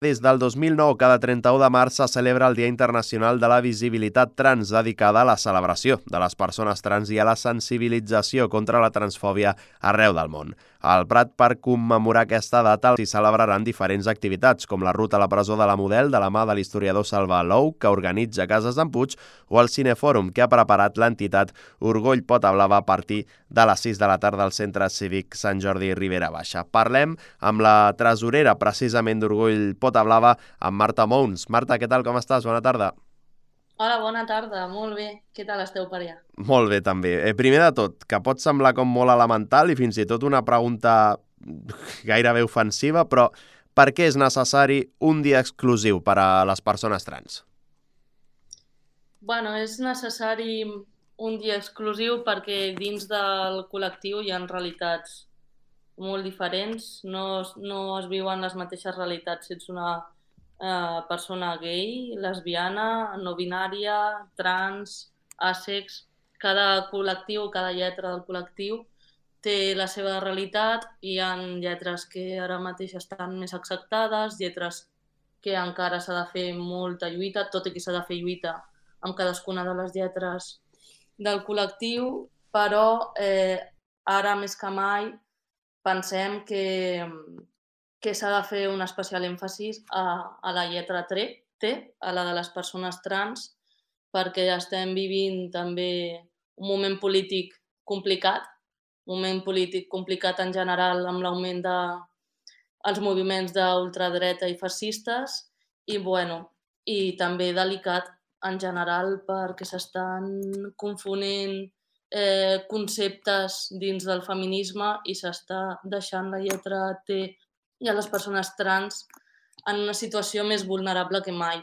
Des del 2009, cada 31 de març se celebra el Dia Internacional de la Visibilitat Trans, dedicada a la celebració de les persones trans i a la sensibilització contra la transfòbia arreu del món. Al Prat, per commemorar aquesta data, s'hi celebraran diferents activitats, com la ruta a la presó de la Model, de la mà de l'historiador Salva Lou, que organitza Cases d'en Puig, o el Cinefòrum, que ha preparat l'entitat Orgull Pota Blava a partir de les 6 de la tarda al Centre Cívic Sant Jordi Ribera Baixa. Parlem amb la tresorera, precisament, d'Orgull Pota Blava, amb Marta Mouns. Marta, què tal, com estàs? Bona tarda. Hola, bona tarda, molt bé. Què tal esteu per allà? Molt bé, també. Primer de tot, que pot semblar com molt elemental i fins i tot una pregunta gairebé ofensiva, però per què és necessari un dia exclusiu per a les persones trans? Bueno, és necessari un dia exclusiu perquè dins del col·lectiu hi ha realitats molt diferents, no es viuen les mateixes realitats si ets una persona gay, lesbiana, no binària, trans, àsex. Cada col·lectiu, cada lletra del col·lectiu té la seva realitat. Hi ha lletres que ara mateix estan més acceptades, lletres que encara s'ha de fer molta lluita, tot i que s'ha de fer lluita amb cadascuna de les lletres del col·lectiu, però ara més que mai pensem que s'ha de fer un especial èmfasis a la lletra T, a la de les persones trans, perquè estem vivint també un moment polític complicat, en general amb l'augment dels moviments d'ultradreta i fascistes i, bueno, i també delicat en general perquè s'estan confonent conceptes dins del feminisme i s'està deixant la lletra T i a les persones trans en una situació més vulnerable que mai.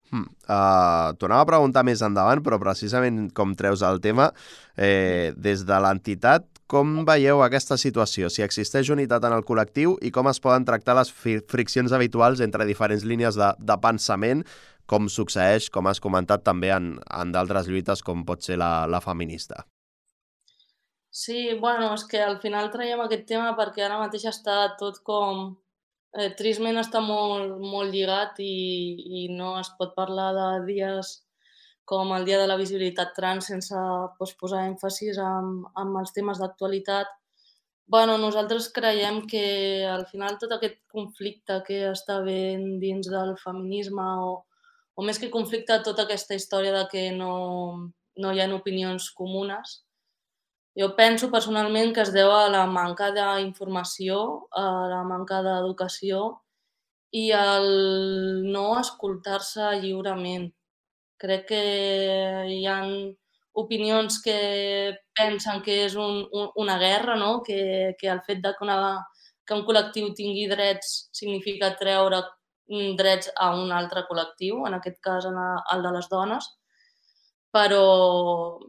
T'ho anava a preguntar més endavant, però precisament com treus el tema, des de l'entitat, com veieu aquesta situació? Si existeix unitat en el col·lectiu i com es poden tractar les friccions habituals entre diferents línies de pensament, com succeeix, com has comentat, també en d'altres lluites, com pot ser la feminista. Sí, bueno, és que al final traiem aquest tema perquè ara mateix està tot com... tristment està molt lligat i no es pot parlar de dies com el Dia de la Visibilitat Trans sense posar èmfasis en els temes d'actualitat. Bueno, nosaltres creiem que al final tot aquest conflicte que està havent dins del feminisme o més que conflicte, tota aquesta història de que no hi ha opinions comunes, jo penso personalment que es deu a la manca d'informació, a la manca d'educació i al no escoltar-se lliurement. Crec que hi ha opinions que pensen que és una guerra, no? Que el fet de que un col·lectiu tingui drets significa treure drets a un altre col·lectiu, en aquest cas el de les dones, però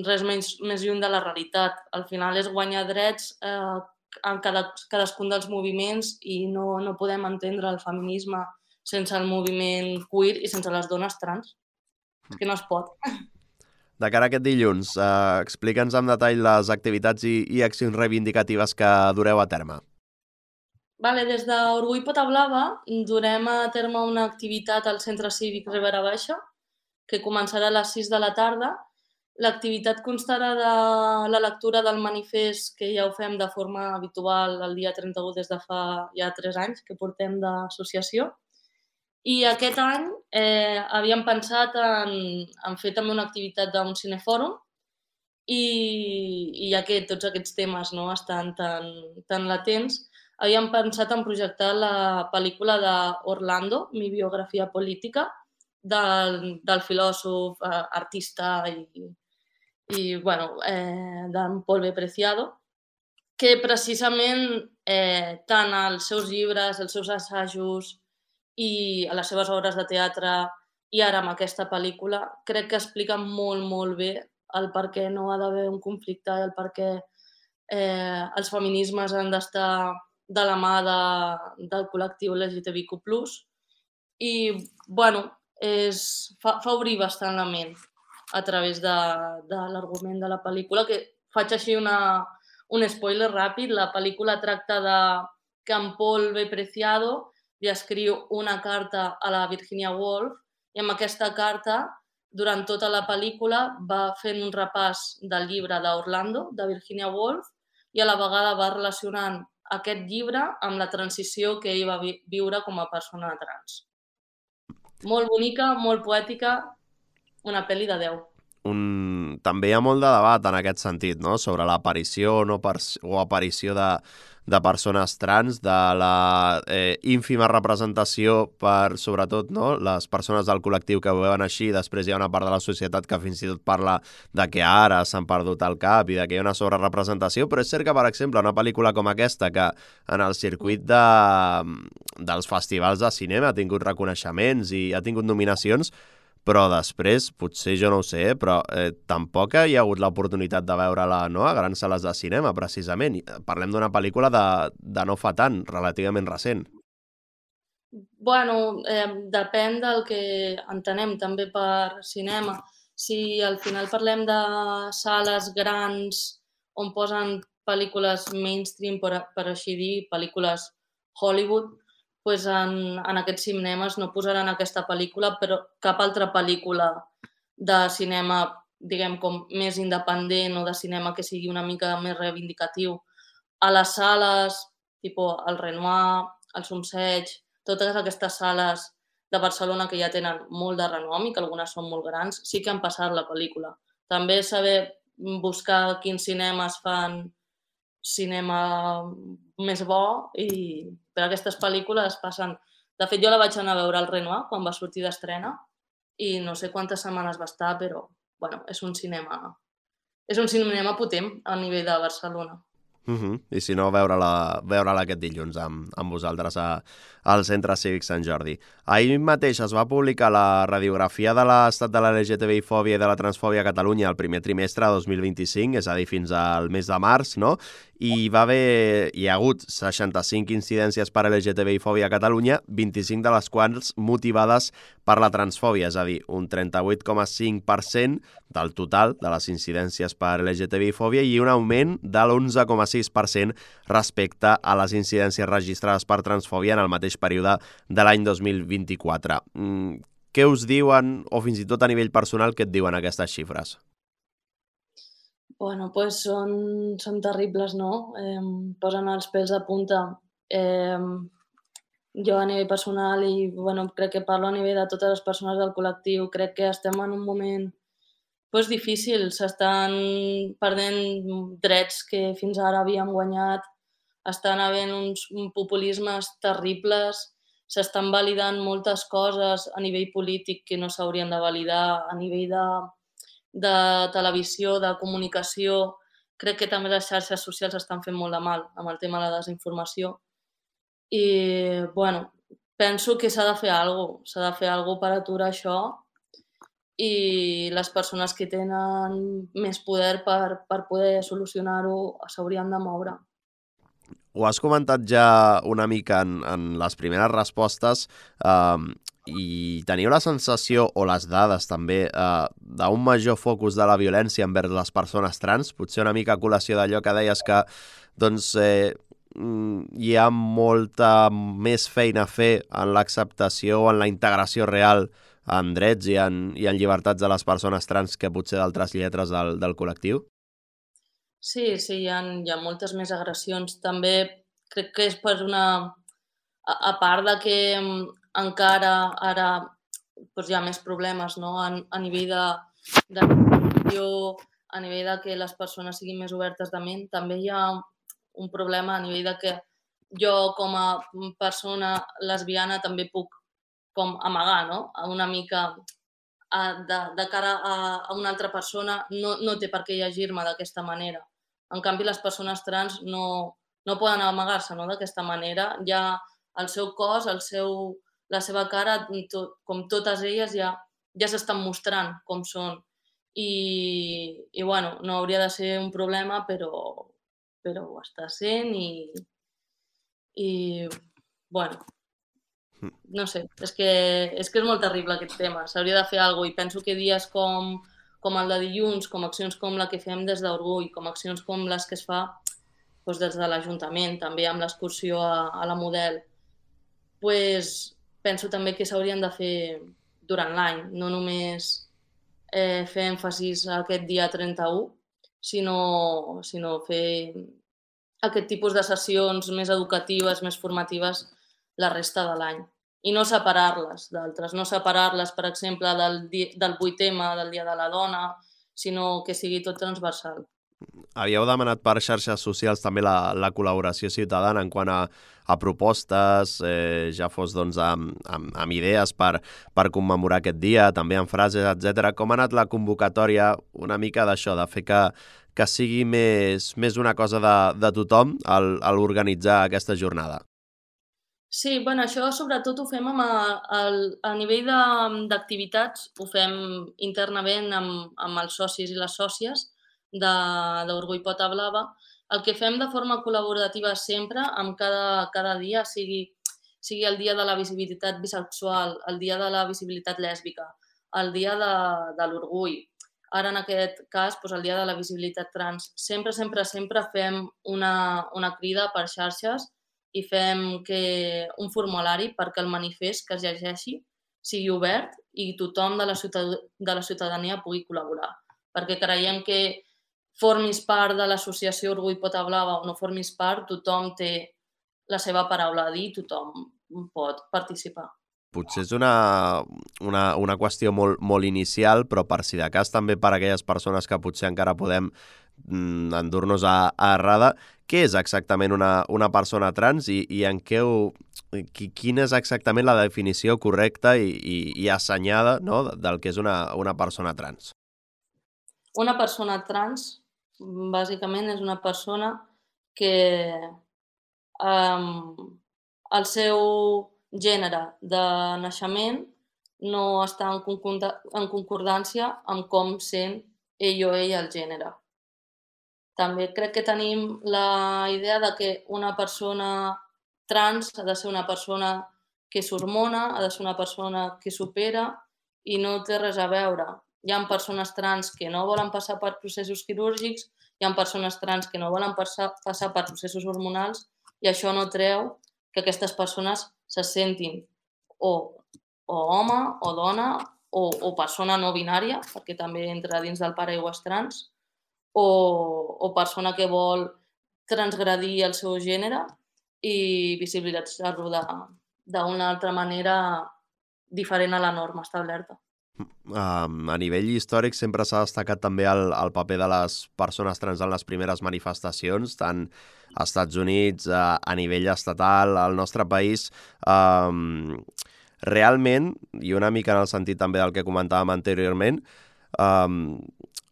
res més lluny de la realitat. Al final és guanyar drets en cadascun dels moviments i no podem entendre el feminisme sense el moviment queer i sense les dones trans. És que no es pot. De cara a aquest dilluns, explica'ns amb detall les activitats i accions reivindicatives que dureu a terme. Vale, des d'Orgull Pota Blava durem a terme una activitat al Centre Cívic Ribera Baixa que començarà a les 6 de la tarda. L'activitat constarà de la lectura del manifest, que ja ho fem de forma habitual el dia 31 des de fa ja 3 anys que portem d'associació. I aquest any havíem pensat en fer també una activitat d'un cinefòrum i ja que tots aquests temes no, estan tan latents, havíem pensat en projectar la pel·lícula d'Orlando, Mi biografia política, del filòsof, artista i bueno, d'en Paul B. Preciado, que precisament tant els seus llibres, els seus assajos i a les seves obres de teatre i ara amb aquesta pel·lícula crec que explica molt bé el per què no ha d'haver un conflicte, el per què els feminismes han d'estar de la mà del col·lectiu LGTBIQ+. I, bueno, fa obrir bastant la ment a través de l'argument de la pel·lícula, que faig així un spoiler ràpid. La pel·lícula tracta de que en Paul B. Preciado li escriu una carta a la Virginia Woolf i amb aquesta carta, durant tota la pel·lícula, va fent un repàs del llibre d'Orlando, de Virginia Woolf, i a la vegada va relacionant aquest llibre amb la transició que ell va viure com a persona trans. Molt bonica, molt poètica, una pel·li de 10. També hi ha molt de debat en aquest sentit, no? Sobre l'aparició o aparició de persones trans, de la ínfima representació per, sobretot, no? Les persones del col·lectiu que ho veuen així, després hi ha una part de la societat que fins i tot parla de que ara s'han perdut el cap i de que hi ha una sobrerepresentació, però és cert que, per exemple, una pel·lícula com aquesta, que en el circuit dels festivals de cinema ha tingut reconeixements i ha tingut nominacions, però després, potser jo no ho sé, però tampoc hi ha hagut l'oportunitat de veure-la, no?, a grans sales de cinema, precisament. Parlem d'una pel·lícula de no fa tant, relativament recent. Bueno, depèn del que entenem també per cinema. Si al final parlem de sales grans on posen pel·lícules mainstream, per així dir, pel·lícules Hollywood, doncs en aquests cinemes no posaran aquesta pel·lícula, però cap altra pel·lícula de cinema, diguem, com més independent o de cinema que sigui una mica més reivindicatiu. A les sales, tipus el Renoir, el Somseig, totes aquestes sales de Barcelona que ja tenen molt de renom i que algunes són molt grans, sí que han passat la pel·lícula. També saber buscar quins cinemes fan cinema més bo i per aquestes pel·lícules passen... De fet, jo la vaig anar a veure al Renoir quan va sortir d'estrena i no sé quantes setmanes va estar, però bueno, és un cinema potent a nivell de Barcelona. I si no, veure-la aquest dilluns amb vosaltres al Centre Cívic Sant Jordi. Ahir mateix es va publicar la radiografia de l'estat de la LGTBI-fòbia i de la transfòbia a Catalunya el primer trimestre de 2025, és a dir, fins al mes de març, no? Hi ha hagut 65 incidències per LGTBI-fòbia a Catalunya, 25 de les quals motivades per la transfòbia, és a dir, un 38,5% del total de les incidències per LGTBI-fòbia i un augment de l'11,6% respecte a les incidències registrades per transfòbia en el mateix període de l'any 2024. Què us diuen, o fins i tot a nivell personal, què et diuen aquestes xifres? Bueno, pues són terribles, no? Posen els pèls de punta. Jo a nivell personal i bueno, crec que parlo a nivell de totes les persones del col·lectiu, crec que estem en un moment pues, difícil, s'estan perdent drets que fins ara havíem guanyat, estan havent uns populismes terribles, s'estan validant moltes coses a nivell polític que no s'haurien de validar, a nivell de televisió, de comunicació. Crec que també les xarxes socials estan fent molt de mal amb el tema de la desinformació. I, bueno, penso que s'ha de fer alguna cosa. S'ha de fer alguna cosa per aturar això i les persones que tenen més poder per poder solucionar-ho s'haurien de moure. Ho has comentat ja una mica en les primeres respostes i teniu la sensació, o les dades també, d'un major focus de la violència envers les persones trans, potser una mica a col·lació d'allò que deies que doncs, hi ha molta més feina a fer en l'acceptació o en la integració real en drets i en llibertats de les persones trans que potser d'altres lletres del col·lectiu? Sí, hi ha moltes més agressions. També crec que és per una... A part de que encara ara doncs hi ha més problemes, no? A nivell de a nivell de que les persones siguin més obertes de ment, també hi ha un problema a nivell de que jo com a persona lesbiana també puc com amagar, no? Una mica de cara a una altra persona no té per què llegir-me d'aquesta manera. En canvi, les persones trans no poden amagar-se, no? D'aquesta manera. Ja el seu cos, la seva cara, com totes elles, ja s'estan mostrant com són. I bueno, no hauria de ser un problema, però ho està sent i bueno, no sé, és que és molt terrible aquest tema. S'hauria de fer alguna cosa i penso que dies com el de dilluns, com accions com la que fem des d'Orgull, com accions com les que es fa doncs des de l'Ajuntament, també amb l'excursió a la Model, pues, penso també que s'haurien de fer durant l'any, no només fer èmfasis a aquest dia 31, sinó fer aquest tipus de sessions més educatives, més formatives, la resta de l'any. I no separar-les d'altres, no separar-les, per exemple, del 8M, del Dia de la Dona, sinó que sigui tot transversal. Havíeu demanat per xarxes socials també la col·laboració ciutadana en quant a propostes, ja fos doncs, amb idees per commemorar aquest dia, també amb frases, etc. Com ha anat la convocatòria una mica d'això, de fer que sigui més una cosa de tothom al organitzar aquesta jornada? Sí, bueno, això sobretot ho fem a nivell d'activitats, ho fem internament amb els socis i les sòcies d'Orgull Pota Blava. El que fem de forma col·laborativa sempre, amb cada dia, sigui el dia de la visibilitat bisexual, el dia de la visibilitat lèsbica, el dia de l'orgull, ara en aquest cas doncs el dia de la visibilitat trans. Sempre fem una crida per xarxes i fem un formulari perquè el manifest que es llegeixi sigui obert i tothom de la ciutadania pugui col·laborar. Perquè creiem que formis part de l'associació Orgull Pota Blava o no formis part, tothom té la seva paraula a dir, tothom pot participar. Potser és una qüestió molt inicial, però per si de cas també per a aquelles persones que potser encara podem endur-nos a errada, què és exactament una persona trans i en què quina és exactament la definició correcta i assenyada, no, del que és una persona trans? Una persona trans, bàsicament, és una persona que el seu gènere de naixement no està en concordància amb com sent ell o ella el gènere. També crec que tenim la idea de que una persona trans ha de ser una persona que s'hormona, ha de ser una persona que supera i no té res a veure. Hi ha persones trans que no volen passar per processos quirúrgics, hi ha persones trans que no volen passar per processos hormonals i això no treu que aquestes persones se sentin o home o dona o persona no binària, perquè també entra dins del paraigües trans, o persona que vol transgredir el seu gènere i visibilitzar-lo d'una altra manera diferent a la norma establerta. A nivell històric sempre s'ha destacat també el paper de les persones trans en les primeres manifestacions, tant als Estats Units, a nivell estatal, al nostre país. Realment, i una mica en el sentit també del que comentàvem anteriorment,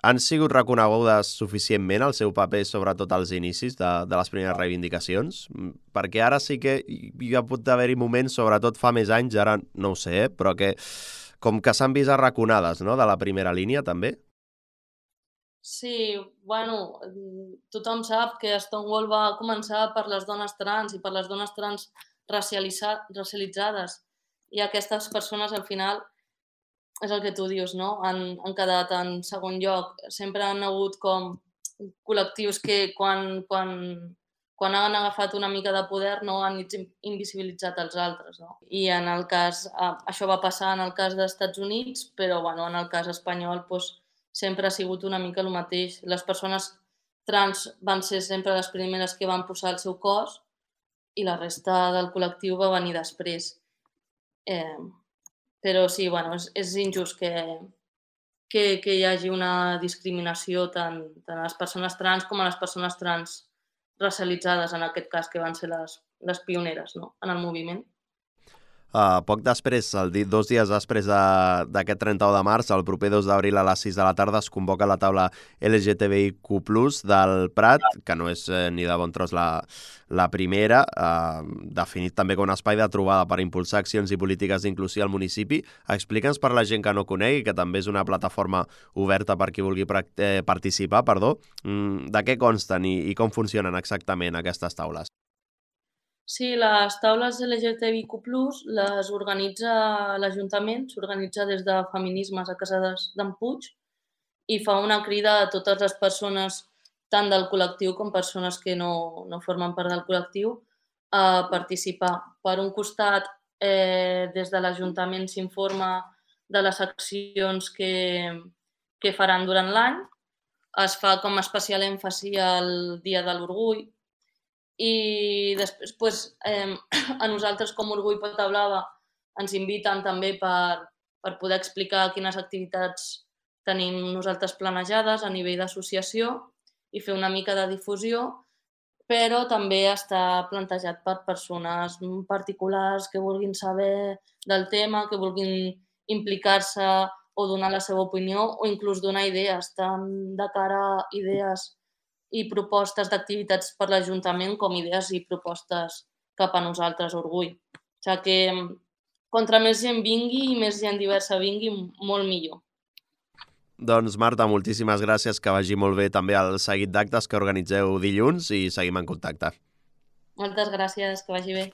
han sigut reconegudes suficientment el seu paper, sobretot als inicis de les primeres reivindicacions? Perquè ara sí que hi ha pot haver-hi moments, sobretot fa més anys, ara no ho sé, però que com que s'han vist arraconades, no?, de la primera línia, també? Sí, bueno, tothom sap que Stonewall va començar per les dones trans i per les dones trans racialitzades i aquestes persones al final és el que tu dius, no? Han quedat en segon lloc. Sempre han hagut com col·lectius que quan han agafat una mica de poder no han invisibilitzat els altres, no? I en el cas, això va passar en el cas dels Estats Units, però bueno, en el cas espanyol doncs, sempre ha sigut una mica el mateix. Les persones trans van ser sempre les primeres que van posar el seu cos i la resta del col·lectiu va venir després. Però sí, bueno, és injust que hi hagi una discriminació tant a les persones trans com a les persones trans racialitzades, en aquest cas, que van ser les pioneres, no?, en el moviment. Poc després, 2 dies després d'aquest 31 de març, el proper 2 d'abril a les 6 de la tarda es convoca la taula LGTBIQ+, del Prat, que no és ni de bon tros la primera, definit també com un espai de trobada per impulsar accions i polítiques d'inclusió al municipi. Explica'ns per la gent que no conegui, que també és una plataforma oberta per qui vulgui participar, de què consten i com funcionen exactament aquestes taules. Sí, les taules LGTBIQ+, les organitza l'Ajuntament, s'organitza des de Feminismes a Casa d'en Puig i fa una crida a totes les persones, tant del col·lectiu com persones que no formen part del col·lectiu, a participar. Per un costat, des de l'Ajuntament s'informa de les accions que faran durant l'any. Es fa com a especial èmfasi al Dia de l'Orgull i després a nosaltres com Orgull Pota Blava ens inviten també per poder explicar quines activitats tenim nosaltres planejades a nivell d'associació i fer una mica de difusió, però també està plantejat per persones particulars que vulguin saber del tema, que vulguin implicar-se o donar la seva opinió o inclús donar idees, tant de cara a idees i propostes d'activitats per l'Ajuntament com idees i propostes cap a nosaltres, Orgull. O sigui que contra més gent vingui i més gent diversa vingui, molt millor. Doncs Marta, moltíssimes gràcies, que vagi molt bé també el seguit d'actes que organitzeu dilluns i seguim en contacte. Moltes gràcies, que vagi bé.